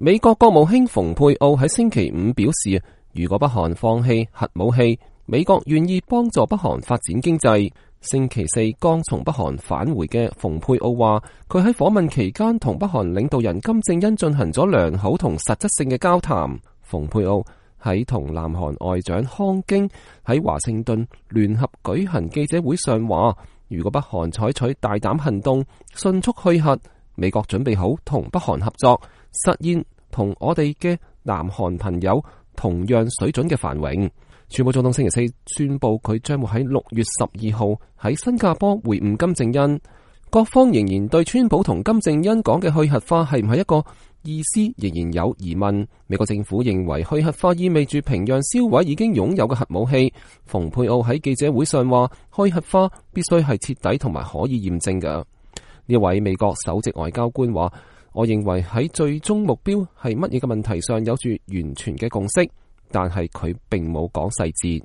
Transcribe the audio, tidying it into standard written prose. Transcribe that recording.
美國國務卿蓬佩奧喺星期五表示，如果北韓放棄核武器，美國願意幫助北韓發展經濟。星期四剛從北韓返回嘅蓬佩奧話，佢喺訪問期間同北韓領導人金正恩進行咗良好同實質性嘅交談。蓬佩奧喺同南韓外長康京喺華盛頓聯合舉行記者會上話，如果北韓採取大膽行動，迅速去核，美國準備好同北韓合作，實現同我哋嘅南韓朋友同樣水準嘅繁榮。川普總統星期四宣布，佢將會喺6月12號喺新加坡會晤金正恩。各方仍然對川普同金正恩講嘅去核化係唔係一個意思仍然有疑問。美國政府認為去核化意味住平壤銷毀已經擁有嘅核武器。蓬佩奧喺記者會上話，去核化必須係徹底同埋可以驗證嘅。呢位美國首席外交官話，我認為喺最終目標係乜嘢嘅問題上有住完全嘅共識。但係佢並冇講細節。